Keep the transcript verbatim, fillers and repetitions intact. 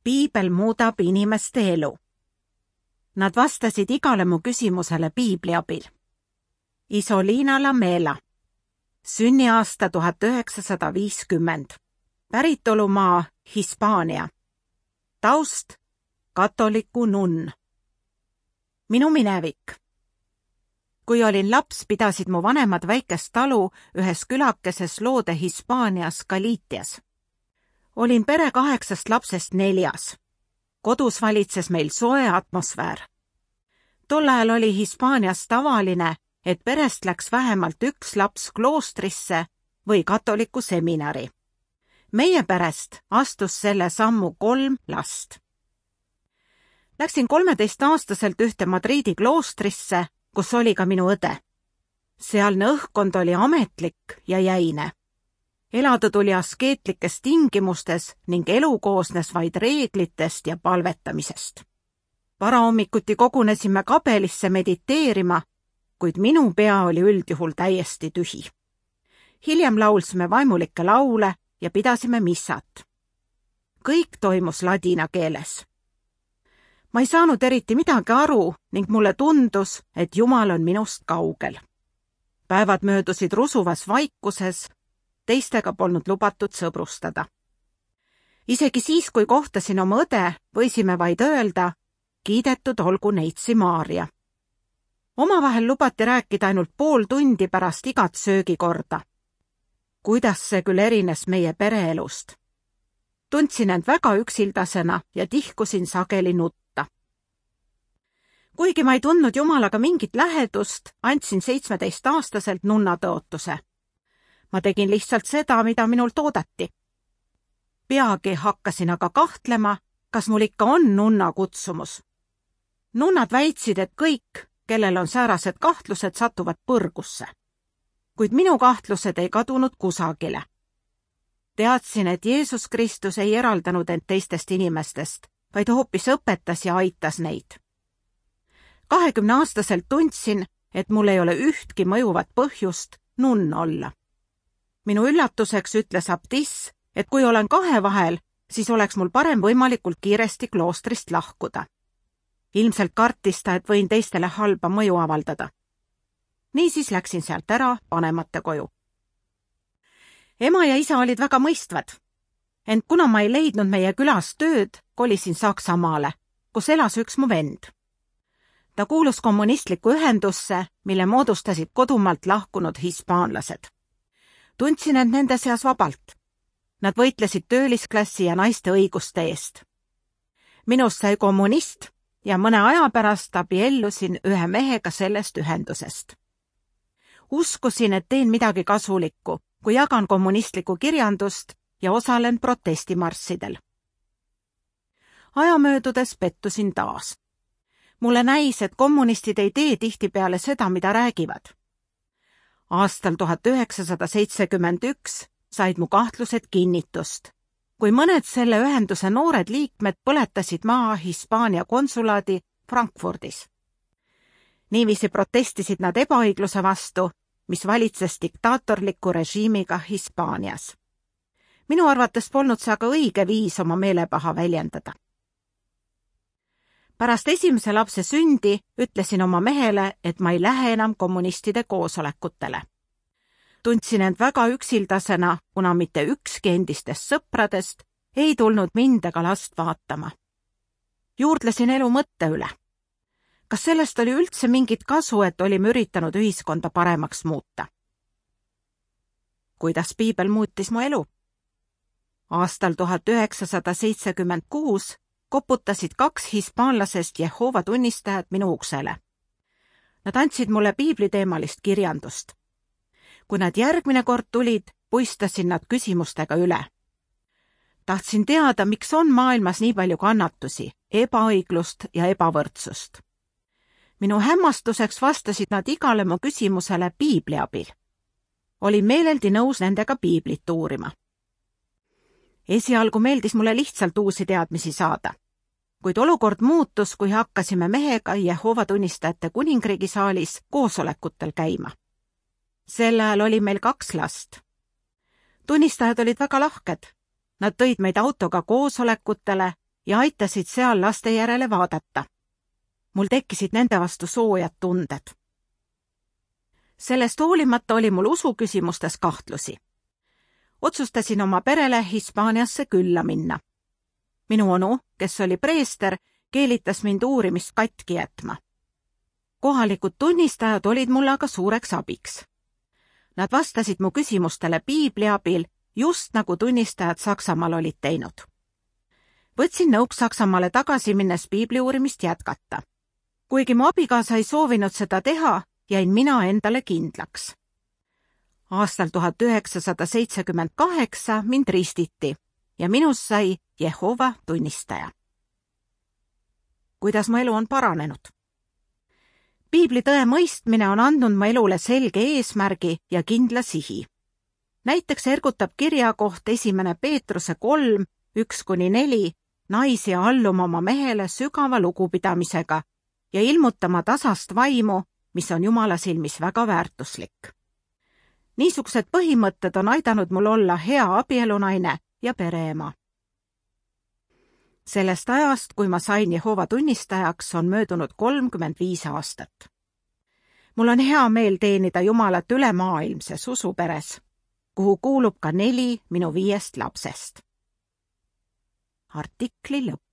piibel muudab inimeste elu. Nad vastasid igale mu küsimusele piibli abil. Isolina Lamela, sünniaasta tuhat üheksasada viiskümmend, päritolumaa Hispaania, taust katoliku nunn. Minu minevik. Kui olin laps, pidasid mu vanemad väikest talu ühes külakeses loode Hispaanias Galitias. Olin pere kaheksast lapsest neljas. Kodus valitses meil soe atmosfäär. Tol ajal oli Hispaanias tavaline, et perest läks vähemalt üks laps kloostrisse või katoliku seminari. Meie perest astus selle sammu kolm last. Läksin kolmeteistaastaselt ühte Madridi kloostrisse, kus oli ka minu õde. Sealne õhkkond oli ametlik ja jäine. Elada tuli askeetlikes tingimustes ning elu koosnes vaid reeglitest ja palvetamisest. Varahommikuti kogunesime kabelisse mediteerima, kuid minu pea oli üldjuhul täiesti tühi. Hiljem laulsime vaimulikke laule ja pidasime missat. Kõik toimus ladina keeles. Ma ei saanud eriti midagi aru ning mulle tundus, et Jumal on minust kaugel. Päevad möödusid rusuvas vaikuses, teistega polnud lubatud sõbrustada. Isegi siis, kui kohtasin oma õde, võisime vaid öelda, kiidetud olgu neitsi Maaria. Omavahel lubati rääkida ainult pool tundi pärast igat söögikorda. Kuidas see küll erines meie pereelust? Tundsin end väga üksildasena ja tihkusin sageli nutta. Kuigi ma ei tundnud Jumalaga mingit lähedust, andsin seitsmeteistaastaselt nunna tõotuse. Ma tegin lihtsalt seda, mida minult oodati. Peagi hakkasin aga kahtlema, kas mul ikka on nunna kutsumus. Nunnad väitsid, et kõik, kellel on säärased kahtlused, satuvad põrgusse. Kuid minu kahtlused ei kadunud kusagile. Teadsin, et Jeesus Kristus ei eraldanud end teistest inimestest, vaid hoopis õpetas ja aitas neid. kahekümneaastaselt tundsin, et mul ei ole ühtki mõjuvat põhjust nunn olla. Minu üllatuseks ütles abtiss, et kui olen kahe vahel, siis oleks mul parem võimalikult kiiresti kloostrist lahkuda. Ilmselt kartis ta, et võin teistele halba mõju avaldada. Niisiis läksin sealt ära vanemate koju. Ema ja isa olid väga mõistvad, ent kuna ma ei leidnud meie külas tööd, kolisin Saksamaale, kus elas üks mu vend. Ta kuulus kommunistlikku ühendusse, mille moodustasid kodumaalt lahkunud hispaanlased. Tundsin end nende seas vabalt. Nad võitlesid töölisklassi ja naiste õiguste eest. Minust sai kommunist ja mõne aja pärast abiellusin ühe mehega sellest ühendusest. Uskusin, et teen midagi kasulikku, kui jagan kommunistlikku kirjandust ja osalen protestimarssidel. Aja möödudes pettusin taas. Mulle näis, et kommunistid ei tee tihtipeale seda, mida räägivad. Aastal tuhat üheksasada seitsekümmend üks said mu kahtlused kinnitust, kui mõned selle ühenduse noored liikmed põletasid maha Hispaania konsulaadi Frankfurdis. Niiviisi protestisid nad ebaõigluse vastu, mis valitses diktaatorliku režiimiga Hispaanias. Minu arvates polnud see aga õige viis oma meelepaha väljendada. Pärast esimese lapse sündi ütlesin oma mehele, et ma ei lähe enam kommunistide koosolekutele. Tundsin end väga üksildasena, kuna mitte ükski endistest sõpradest ei tulnud mind ega last vaatama. Juurdlesin elu mõtte üle. Kas sellest oli üldse mingit kasu, et olime üritanud ühiskonda paremaks muuta? Kuidas piibel muutis mu elu? Aastal tuhat üheksasada seitsekümmend kuus koputasid kaks hispaanlasest Jehova tunnistajat minu uksele. Nad andsid mulle piibliteemalist kirjandust. Kui nad järgmine kord tulid, puistasin nad küsimustega üle. Tahtsin teada, miks on maailmas nii palju kannatusi, ebaõiglust ja ebavõrdsust. Minu hämmastuseks vastasid nad igale mu küsimusele piibli abil. Olin meeleldi nõus nendega piiblit uurima. Esialgu meeldis mulle lihtsalt uusi teadmisi saada. Kuid olukord muutus, kui hakkasime mehega Jehova tunnistajate kuningriigi saalis koosolekutel käima. Sel ajal oli meil kaks last. Tunnistajad olid väga lahked. Nad tõid meid autoga koosolekutele ja aitasid seal laste järele vaadata. Mul tekkisid nende vastu soojad tunded. Sellest hoolimata oli mul usuküsimustes kahtlusi. Otsustasin oma perele Hispaaniasse külla minna. Minu onu, kes oli preester, keelitas mind uurimist katki jätma. Kohalikud tunnistajad olid mulle aga suureks abiks. Nad vastasid mu küsimustele piibli abil, just nagu tunnistajad Saksamaal olid teinud. Võtsin nõuks Saksamaale tagasi minnes piibli uurimist jätkata. Kuigi mu abikaasa ei soovinud seda teha, jäin mina endale kindlaks. Aastal tuhat üheksasada seitsekümmend kaheksa mind ristiti ja minust sai Jehova tunnistaja. Kuidas mu elu on paranenud? Piibli tõe mõistmine on andnud mu elule selge eesmärgi ja kindla sihi. Näiteks ergutab kirja koht esimene Peetruse kolm, üks kuni neli, naisi alluma oma mehele sügava lugupidamisega ja ilmutama tasast vaimu, mis on Jumala silmis väga väärtuslik. Niisugused põhimõtted on aidanud mul olla hea abielunaine ja pereema. Sellest ajast, kui ma sain Jehova tunnistajaks, on möödunud kolmkümmend viis aastat. Mul on hea meel teenida Jumalat ülemaailmses usuperes, kuhu kuulub ka neli minu viiest lapsest. Artikli lõpp.